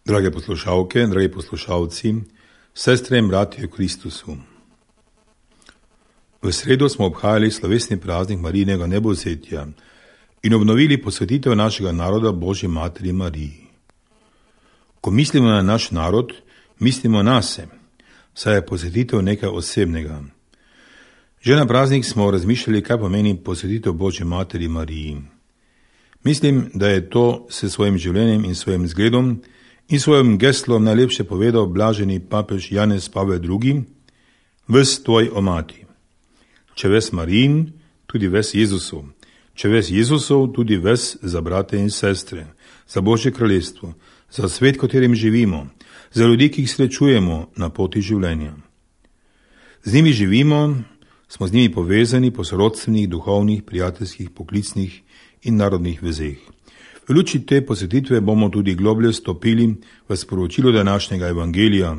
Drage poslušalke, dragi poslušalci, sestre in bratje v Kristusu. V sredo smo obhajali slovesni praznik Marijinega nebovzetja in obnovili posvetitev našega naroda Božji Materi Mariji. Ko mislimo na naš narod, mislimo nase, saj je posvetitev nekaj osebnega. Že na praznik smo razmišljali, kaj pomeni posvetitev Božji Materi Mariji. Mislim, da je to s svojim življenjem in svojim zgledom in svojim geslom najlepše povedal blaženi papež Janez Pavel II. Ves tvoj o mati. Če ves Marijin, tudi ves Jezusov. Če ves Jezusov, tudi ves za brate in sestre, za Božje kraljestvo, za svet, katerim živimo, za ljudi, ki jih srečujemo na poti življenja. Z njimi živimo, smo z njimi povezani po sorodstvenih, duhovnih, prijateljskih, poklicnih in narodnih vezeh. V luči te posvetitve bomo tudi globlje stopili v sporočilo današnjega evangelija,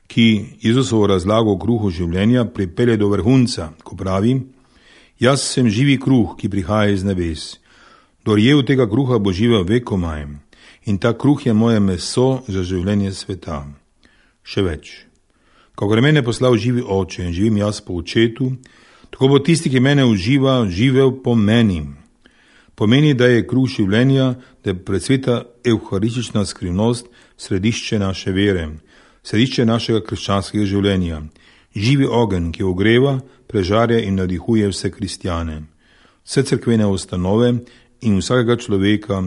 ki Jezusovo razlago o kruhu življenja pripelje do vrhunca, ko pravi: Jaz sem živi kruh, ki prihaja iz nebes. Kdor je od tega kruha, bo živel vekomaj, in ta kruh je moje meso za življenje sveta. Še več. Kakor mene poslal živi oče in živim jaz po očetu, tako bo tisti, ki mene uživa, živel po meni. Pomeni, da je kruh življenja, da je predsveta evharistična skrivnost središče naše vere, središče našega krščanskega življenja, živi ogenj, ki ogreva, prežarja in navdihuje vse kristjane, vse cerkvene ustanove in vsakega človeka,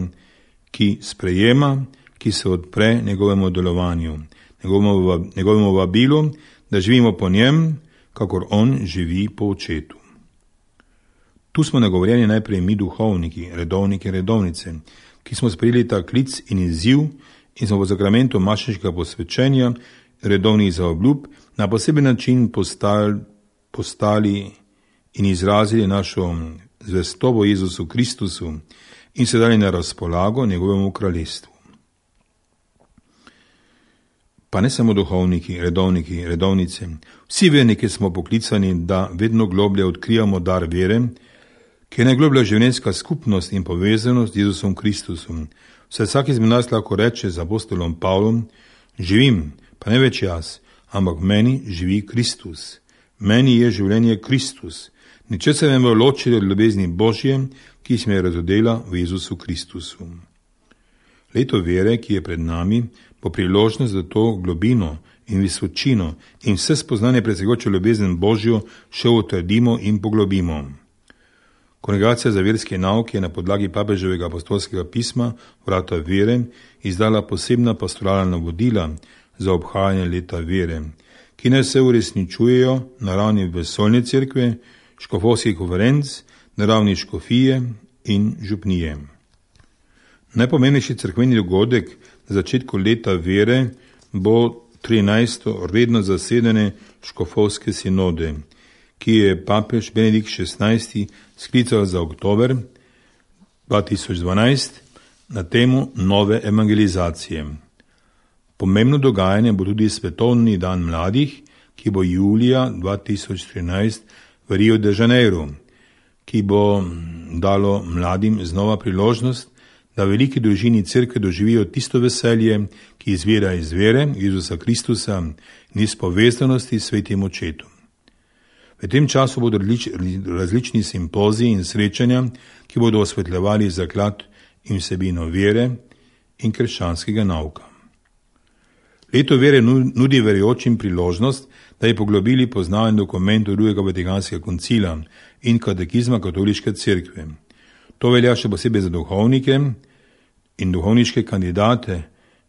ki sprejema, ki se odpre njegovemu delovanju, njegovemu vabilu, da živimo po njem, kakor on živi po očetu. Tu smo nagovorjeni najprej mi duhovniki, redovniki, redovnice, ki smo sprejeli ta klic in izziv in smo v zakramentu mašniškega posvečenja, redovnih zaobljub, na poseben način postali in izrazili našo zvestobo Jezusu Kristusu in se dali na razpolago njegovemu kraljestvu. Pa ne samo duhovniki, redovniki, redovnice, vsi verniki smo poklicani, da vedno globlje odkrijamo dar vere, ki je najgloblja življenjska skupnost in povezanost z Jezusom Kristusom. Vsak izmed nas lahko reče z apostolom Pavlom: živim, pa ne več jaz, ampak v meni živi Kristus. Meni je življenje Kristus. Ničesar ne bo ločilo od ljubezni Božje, ki se me je razodela v Jezusu Kristusu. Leto vere, ki je pred nami, bo priložnost za to globino in visočino in vse spoznanje presegajočo ljubezen Božjo še utrdimo in poglobimo. Kongregacija za verske nauke je na podlagi papeževega apostolskega pisma Vrata vere izdala posebna pastoralna navodila za obhajanje leta vere, ki naj se uresničujejo na ravni vesoljne cerkve, škofovskih konferenc, na ravni škofije in župnije. Najpomembnejši cerkveni dogodek na začetku leta vere bo 13. redno zasedanje škofovske sinode, ki je papež Benedikt XVI sklical za oktober 2012 na temo nove evangelizacije. Pomembno dogajanje bo tudi svetovni dan mladih, ki bo julija 2013 v Rio de Janeiro, ki bo dalo mladim znova priložnost, da v veliki družini cerkve doživijo tisto veselje, ki izvira iz vere Jezusa Kristusa in iz povezanosti s svetim očetom. V tem času bodo različni simpoziji in srečanja, ki bodo osvetljevali zaklad in vsebino vere in krščanskega nauka. Leto vere nudi verujočim priložnost, da je poglobili poznavanje dokumentov drugega Vatikanskega koncila in katekizma katoliške cerkve. To velja še posebej za duhovnike in duhovniške kandidate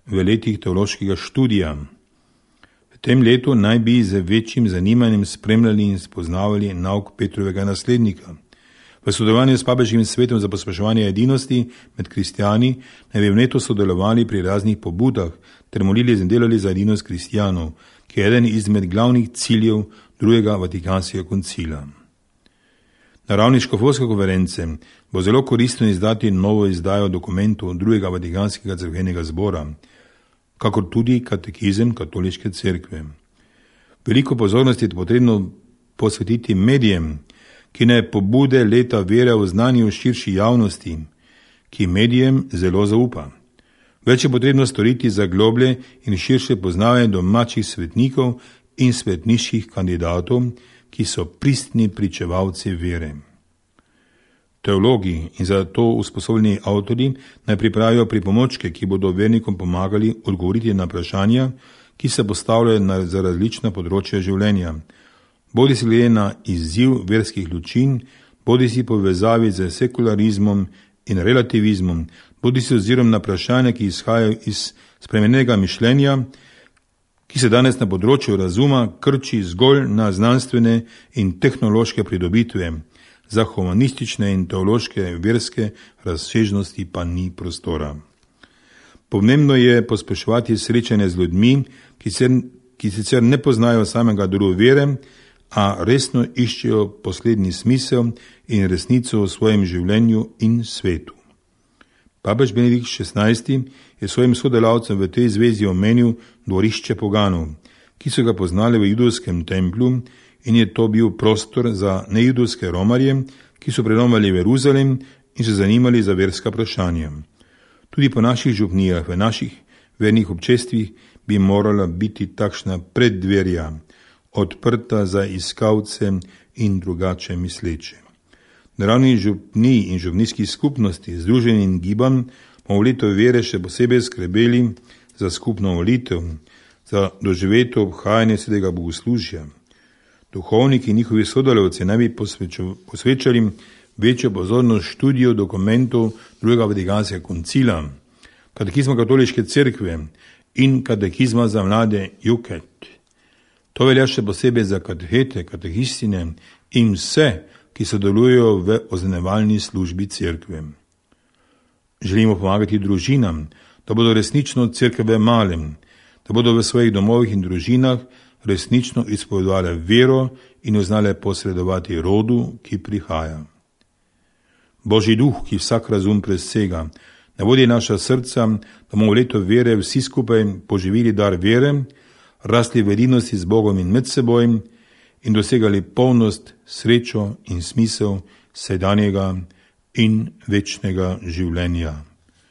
v letih teološkega študija. V tem letu naj bi z večjim zanimanjem spremljali in spoznavali nauk Petrovega naslednika. V sodelovanju s papežkim svetom za pospeševanje edinosti med kristjani naj bi v letu sodelovali pri raznih pobudah ter molili in delali za edinost kristjanov, ki je eden izmed glavnih ciljev drugega Vatikanskega koncila. Na ravni škofovske konference bo zelo koristno izdati novo izdajo dokumentov drugega Vatikanskega cerkvenega zbora, kakor tudi katekizem katoliške cerkve. Veliko pozornosti je potrebno posvetiti medijem, ki naj pobude leta vere oznanijo širši javnosti, ki medijem zelo zaupa. Več je potrebno storiti za globlje in širše poznavanje domačih svetnikov in svetniških kandidatov, ki so pristni pričevalci vere. Teologi in za to usposobljeni avtorji naj pripravijo pripomočke, ki bodo vernikom pomagali odgovoriti na vprašanja, ki se postavljajo za različna področja življenja, bodi si glede na izziv verskih lučin, bodi si povezavi z sekularizmom in relativizmom, bodi si ozirom na vprašanja, ki izhajajo iz spremenjenega mišljenja, ki se danes na področju razuma krči zgolj na znanstvene in tehnološke pridobitve, za humanistične in teološke verske razsežnosti pa ni prostora. Pomembno je pospeševati srečanje z ljudmi, ki sicer ne poznajo samega druge vere, a resno iščejo poslednji smisel in resnico v svojem življenju in svetu. Papež Benedikt XVI je svojim sodelavcem v tej zvezi omenil dvorišče poganov, ki so ga poznali v judovskem templju, in je to bil prostor za nejudovske romarje, ki so prenomali v Jeruzalem in se zanimali za verska vprašanja. Tudi po naših župnijah, v naših vernih občestvih bi morala biti takšna preddverja, odprta za iskalce in drugače misleče. Na ravni župnij in župnijskih skupnosti, združenj in gibanj, bomo v letu vere še posebej skrbeli za skupno molitev, za doživeto obhajanje svetega bogoslužja. Duhovniki in njihovi sodelavci naj bi posvečali večjo pozornost študiju dokumentov drugega Vatikanskega koncila, katekizma katoliške cerkve in katekizma za mlade Juket. To velja še posebej za katehete, katehistine in vse, ki sodelujejo v označevalni službi cerkve. Želimo pomagati družinam, da bodo resnično cerkve malem, da bodo v svojih domovih in družinah resnično izpovedovale vero in jo znale posredovati rodu, ki prihaja. Božji duh, ki vsak razum presega, ne vodi naša srca, da bomo v letu vere vsi skupaj poživili dar vere, rasli v edinosti z Bogom in med seboj in dosegali polnost, srečo in smisel sedanjega in večnega življenja.